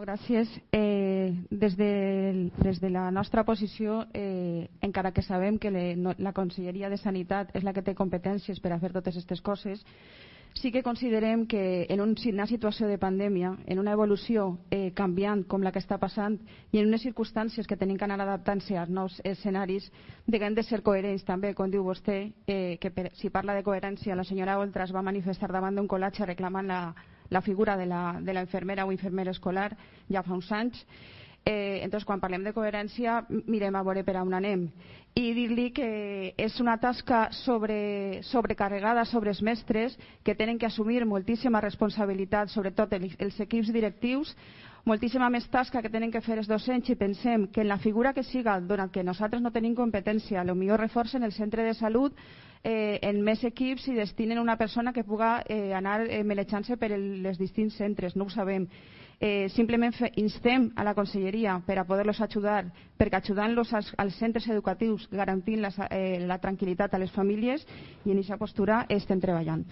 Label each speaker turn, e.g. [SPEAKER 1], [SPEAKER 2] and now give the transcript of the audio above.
[SPEAKER 1] gràcies. Des de la nostra posició, encara que sabem que la Conselleria de Sanitat és la que té competències per a fer totes aquestes coses, sí que considerem que en una situació de pandèmia, en una evolució canviant com la que està passant i en unes circumstàncies que tenim que anar adaptant-se als nous escenaris, hem de ser coherents també, com diu vostè, que si parla de coherència, la senyora Oltra es va manifestar davant d'un col·latge reclamant la figura de la infermera o infermera escolar ja fa uns anys. Entonces, quan parlem de coherència, mirem a veure per on anem. I dir-li que és una tasca sobrecarregada sobre els mestres, que tenen que assumir moltíssima responsabilitat, sobretot els equips directius, moltíssima més tasca que tenen que fer els docents, i pensem que en la figura que siga, donat que nosaltres no tenim competència, potser reforcen el centre de salut en més equips i destinen una persona que puga anar melejant-se per els distints centres, no ho sabem. Simplement instem a la Conselleria per a poder-los ajudar, perquè ajudant-los als centres educatius garantint la tranquil·litat a les famílies, i en aquesta postura estem treballant.